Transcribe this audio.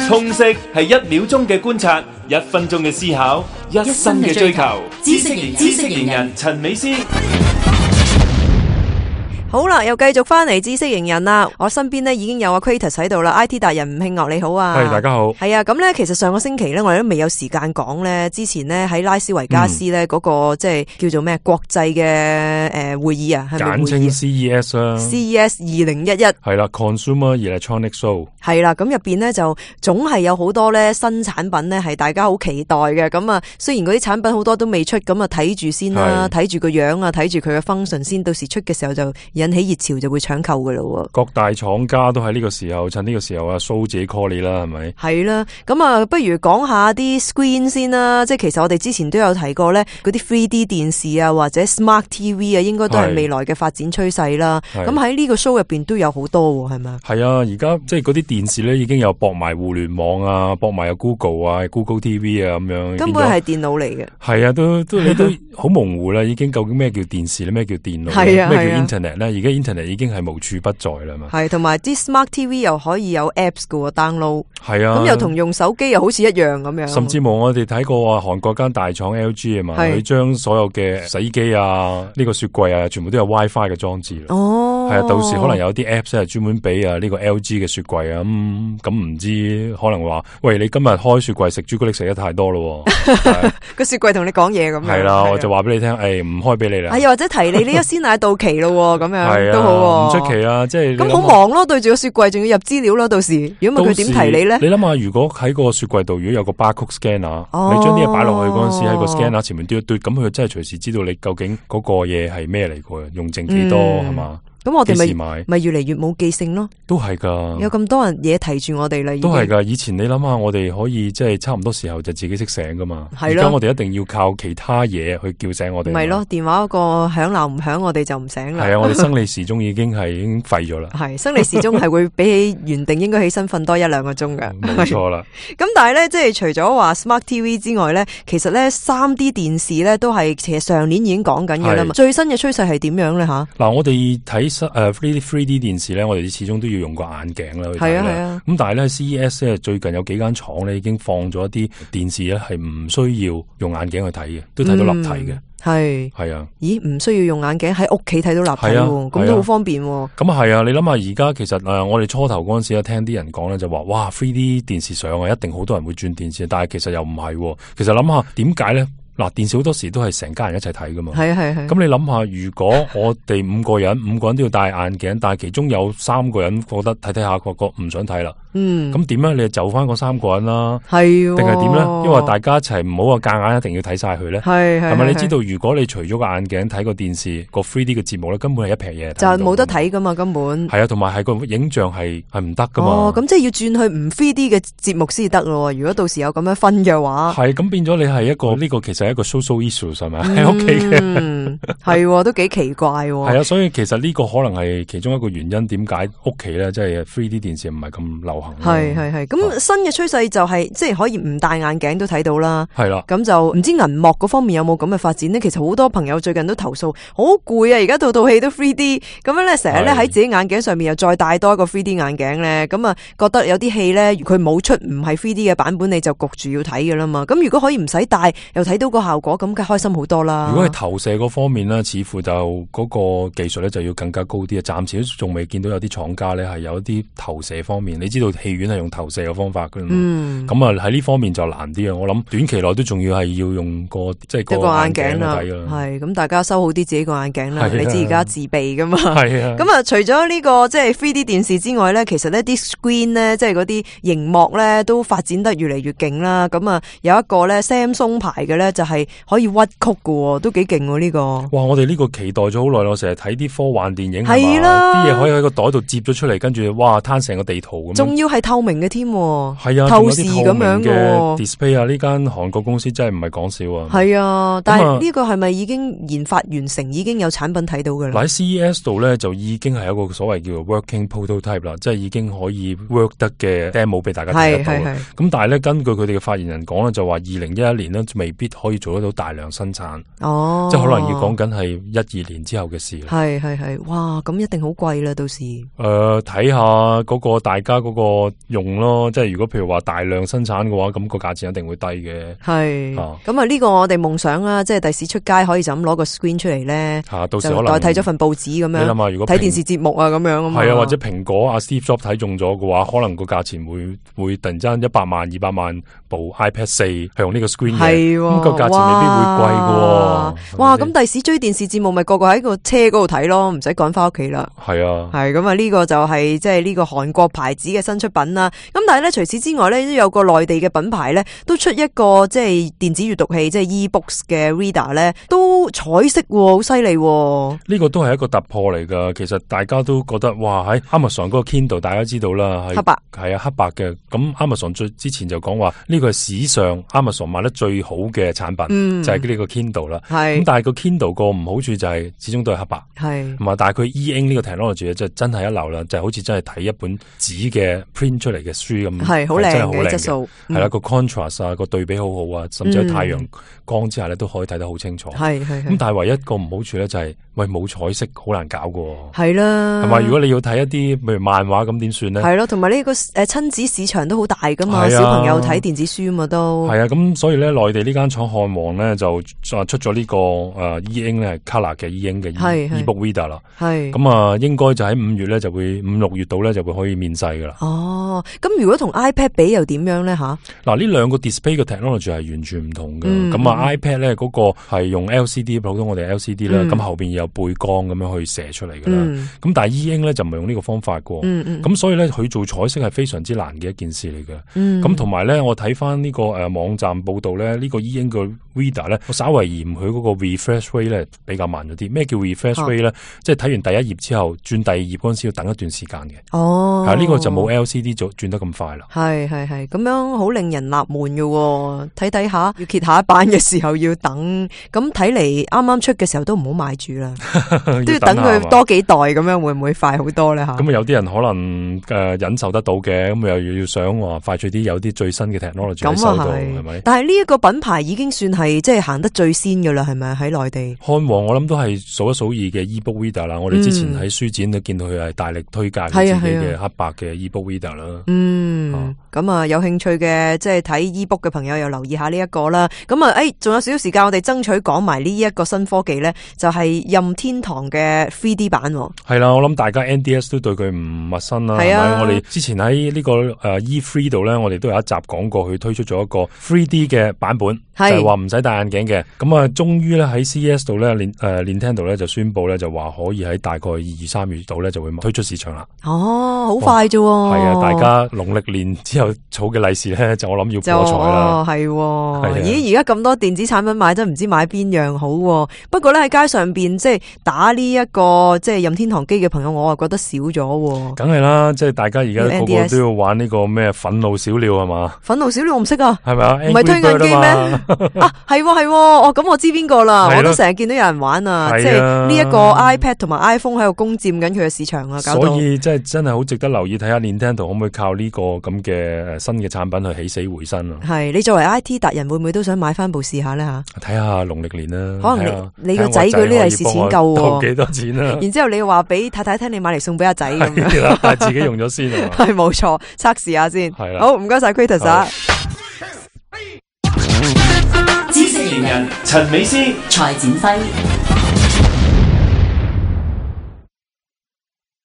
通識係1秒鐘嘅觀察，1分鐘嘅思考，1生嘅追求。知識型人陳美詩。好啦，又繼續翻嚟知識型人啦。我身邊呢已經有阿 Kratos 喺度啦 ，IT 達人吳慶岳你好啊。係，大家好。係啊，咁呢其實上個星期呢，我哋都未有時間講呢。之前呢喺拉斯維加斯呢嗰個即係叫做咩國際嘅會議啊，係咪會議？簡稱 CES 啦。CES 2011係啦 ，Consumer Electronics Show 係啦。咁入邊呢就總係有好多呢新產品呢係大家好期待嘅。咁啊，雖然嗰啲產品好多都未出，咁啊睇住先啦，睇住個樣啊，睇住佢嘅 function 先，到時出嘅時候就引起熱潮就會搶購噶咯。各大廠家都喺呢個時候，趁呢個時候啊 show 自己 call 你啦，係咪？係啦，咁啊，不如講下啲 screen 先啦。即係其實我哋之前都有提過咧，嗰啲 3D 電視啊，或者 Smart TV 啊，應該都係未來嘅發展趨勢啦。咁喺呢個 show 入邊都有好多，係咪？係啊，而家即係嗰啲電視咧，已經有駁埋互聯網啊，駁埋有 Google 啊、Google TV 啊咁樣。根本係電腦嚟嘅。係啊，你都好模糊啦，已經究竟咩叫電視咧，咩叫電腦，咩叫 Internet 咧？而家 Internet 已經係無處不在啦嘛。係，同埋啲 Smart TV 又可以有 apps 嘅 download。係啊，咁又同用手機又好似一樣咁樣。甚至乎我哋睇過啊，韓國間大廠 LG 啊嘛，佢將所有嘅洗衣機啊、呢個雪櫃啊，全部都有 WiFi 嘅裝置。哦，係啊，到時可能有啲 apps 係專門俾啊呢個 LG 嘅雪櫃啊，咁唔知可能話，喂，你今日開雪櫃食朱古力食得太多咯，個雪櫃同你講嘢咁樣。係啦，我就話俾你聽，唔開俾你啦。又或者提你呢個鮮奶到期咯，咁樣都好。唔出奇啊，即係咁好忙咯，對住個雪櫃仲要入資料咯，到時如果唔係佢點提你咧？你諗下，如果喺個雪櫃度，如果有個 barcode scanner，你將啲嘢擺落去嗰陣時，喺個 scanner 前面嘟一嘟，咁佢真係隨時知道你究竟嗰個嘢係咩嚟嘅，用剩幾多係嘛？咁我哋咪越嚟越冇記性咯，都係噶，有咁多人嘢提住我哋啦，都係噶。以前你諗下，我哋可以即係差唔多時候就自己識醒噶嘛，而家我哋一定要靠其他嘢去叫醒我哋。咪咯，電話嗰個響鬧唔響，我哋就唔醒啦。係啊，我哋生理時鐘已經廢咗啦。係生理時鐘係會比起原定應該起身瞓多1-2個鐘嘅。冇錯啦。咁但係咧，即係除咗話 Smart TV 之外咧，其實咧 3D 電視咧都係其實上年已經講緊嘅啦嘛。最新嘅趨勢係點樣咧吓？嗱，我哋睇3D 電視咧，我哋始終都要用個眼鏡啦去睇啦。咁但係咧 CES 咧最近有幾間廠咧已經放咗一啲電視咧係唔需要用眼鏡去睇嘅，都睇到立體嘅。係啊。咦？唔需要用眼鏡喺屋企睇到立體喎，咁都好方便喎。咁係啊，你諗下而家其實我哋初頭嗰陣時聽啲人講咧就話，哇 3D 電視上啊，一定好多人會轉電視，但係其實又唔係。其實諗下點解咧？嗱，電視好多時都係成家人一齊睇噶嘛。係。咁你諗下，如果我哋5個人都要戴眼鏡，但係其中有3個人覺得睇下個唔想睇啦。咁點咧？你就走翻嗰3個人啦。係。定係點咧？因為大家一齊唔好話夾硬一定要睇晒佢咧。係咪？你知道如果你除咗個眼鏡睇個電視個 3D 嘅節目咧，根本係一撇嘢。就係冇得睇噶嘛，根本。係啊，同埋係個影像係唔得噶嘛。哦，咁即係要轉去唔 3D 嘅節目先得咯。如果到時有咁樣分嘅話。係，咁變咗你係一個呢個其實係一個 social issue 係咪喺屋企嘅？係，都幾奇怪。係啊，所以其實呢個可能係其中一個原因，點解屋企咧即係 3D 電視唔係咁流行。係。咁新嘅趨勢就係即係可以唔戴眼鏡都睇到啦。係啦。咁就唔知銀幕嗰方面有冇咁嘅發展呢？其實好多朋友最近都投訴好攰啊！而家套戲都 3D， 咁樣咧成日咧喺自己眼鏡上面又再戴多一個 3D 眼鏡咧，咁啊覺得有啲戲咧佢冇出唔係 3D 嘅版本，你就焗住要睇噶啦嘛。咁如果可以唔使戴又睇到個效果，咁梗係開心好多啦。如果係投射嗰方面咧，似乎就嗰個技術咧就要更加高啲啊！暫時都仲未見到有啲廠家咧係有一啲投射方面，你知道戲院係用投射嘅方法噶嘛？咁啊喺呢方面就難啲啊！我諗短期內都仲要係要用個即係個眼鏡去睇啦。係咁，大家收好啲自己個眼鏡啦。你知而家自備噶嘛？係啊。咁啊，除咗呢個即係 3D 電視之外咧，其實呢啲 screen 咧，即係嗰啲熒幕咧，都發展得越嚟越勁啦。咁啊，有一個咧 Samsung 牌嘅咧，就係可以屈曲嘅，都幾勁呢個。哇！我哋呢個期待咗好耐咯，成日睇啲科幻電影係啦，啲嘢可以喺個袋度接咗出嚟，跟住哇攤成個地圖咁。仲要係透明嘅添，係啊，透視咁樣嘅 display 啊，呢間韓國公司真係唔係講笑啊。係啊，但係呢個係咪已經研發完成，已經有產品睇到嘅啦？喺 CES 度咧就已經係一個所謂叫做 working prototype 啦，即係已經可以 work 得嘅 demo 俾大家睇得到。咁但係咧，根據佢哋嘅發言人講咧，就話2011年咧未必可以做得到大量生產。哦，即係可能要講緊係12年之後嘅事。係，哇，咁一定好貴啦，到時。睇下嗰個大家嗰個用咯，即係如果譬如話大量生產嘅話，咁個價錢一定會低嘅。係，咁啊呢個我哋夢想啦，即係第時出街可以就咁攞個 screen 出嚟咧，到時可能代替咗份報紙咁樣。你諗下，如果睇電視節目啊咁樣啊嘛。係啊，或者蘋果Steve Jobs 睇中咗嘅話，可能個價錢會突然之間100萬、200萬部 iPad 4係用呢個 screen 嘅，咁個價錢未必會貴嘅。哇，咁第時追電視節目咪個個喺個車嗰度睇咯，唔使趕翻屋企啦。係啊，係咁啊，呢個就係即係呢個韓國牌子嘅新出品啦。咁但係咧，除此之外咧，都有個內地嘅品牌咧，都出一個即係電子閱讀器，即係 e-books 嘅 reader 咧，都彩色，好犀利。呢個都係一個突破嚟噶。其實大家都覺得哇，喺 Amazon 嗰個 Kindle 大家知道啦，係黑白，係啊，黑白嘅。咁 Amazon 之前就講話呢個係史上 Amazon 賣得最好嘅產品，就係呢個 Kindle 啦。咁但係個 Kindle 個唔好處就係始終都係黑白，係同埋但係佢 e-ink 呢個 technology 就真係一流啦，就好似真係睇一本紙嘅 print 出嚟嘅書咁，係好靚嘅質素。係啦，個 contrast 啊，個對比好好啊，甚至喺太陽光之下咧都可以睇得好清楚。係咁但係唯一個唔好處咧就係冇彩色，好難搞噶。係啦，係咪？如果你要睇一啲譬如漫畫咁點算咧？係咯，同埋呢個親子市場都好大噶嘛，小朋友睇電子書啊嘛都。係啊，咁所以咧內地呢間廠漢王咧就出咗呢個e-ink 咧 color 嘅 e-ink 嘅 e-book reader 啦。係咁啊，應該就喺5月咧就會5、6月度咧就會可以面世噶啦。哦，咁如果同 iPad 比又點樣咧吓？嗱，呢兩個 display 嘅 technology 係完全唔同嘅。咁iPad 咧嗰個係用 LCD， 普通我哋 LCD 啦，咁後邊有背光咁樣去射出嚟噶啦。咁但係 e-ink 咧就唔係用呢個方法噶。咁所以咧佢做彩色係非常之難嘅一件事嚟嘅。咁同埋咧我睇翻呢個網站報道咧，呢個 e-ink 嘅 reader 咧，我稍為嫌佢嗰個 refresh rate 咧比較慢咗啲。咩叫 refresh rate 咧？即係睇完第一頁之後轉第二頁嗰陣時要等一段時間嘅。哦，係呢個就冇 LCD 轉得咁快啦。係咁樣好令人納悶嘅。睇下要揭下一版嘅時候要等，咁睇嚟啱啱出嘅時候都唔好買住啦，都要等佢多幾代咁樣，會唔會快好多咧吓？咁有啲人可能忍受得到嘅，咁又要想話快脆啲，有啲最新嘅 technology 喺手度，係咪？但係呢一個品牌已經算係即係行得最先嘅啦，係咪喺內地？漢王我諗都係數一數二嘅 e-book reader 啦。我哋之前喺書展都見到佢係大力推介自己嘅黑白嘅 e-book reader 啦。咁啊有興趣嘅即係睇 e-book 嘅朋友又留意下呢一個啦。咁啊仲有少少時間，我哋爭取講埋呢一個新科技咧，就係任天堂嘅 3D 版。係啦，我諗大家 NDS 都對佢唔陌生啦。係咪？我哋之前喺呢個E3 度咧，我哋都有一集講過，佢推出咗一個 3D 嘅版本，就係話唔使戴眼鏡嘅。咁啊，終於咧喺 CES 度咧，Nintendo 咧就宣布咧就話可以喺大概2、3月度咧就會推出市場啦。哦，好快啫！係啊，大家農曆年之後儲嘅利是咧，就我諗要過財啦。係，咦？而家咁多電子產品買，真唔知買邊樣好。不過咧喺街上邊即係打呢一個即係任天堂機嘅朋友，我啊覺得少咗。梗係啦，即係大家而家個個都要玩呢個咩憤怒小鳥係嘛？憤怒小鳥我唔識啊，係咪啊？唔係推緊機咩？啊，係，哦，咁我知邊個啦，我都成日見到有人玩啊，即係呢一個 iPad 同埋 iPhone 喺度攻佔緊佢嘅市場啊，搞到。所以即係真係好值得留意，睇下 Nintendo 可唔可以靠呢個咁嘅新嘅產品去起死回生啊？係，你作為 IT 達人，會唔會都想買翻部試下咧吓？睇下農曆年啦，可能你個仔嗰啲利是錢夠喎，幾多錢啊？然之後你話俾太太聽，你買嚟送俾阿仔咁樣，但係自己用咗先啊？係冇錯，測試下先。係啦，好唔該晒 Kratos 啊！知識型人陳美詩、蔡展輝。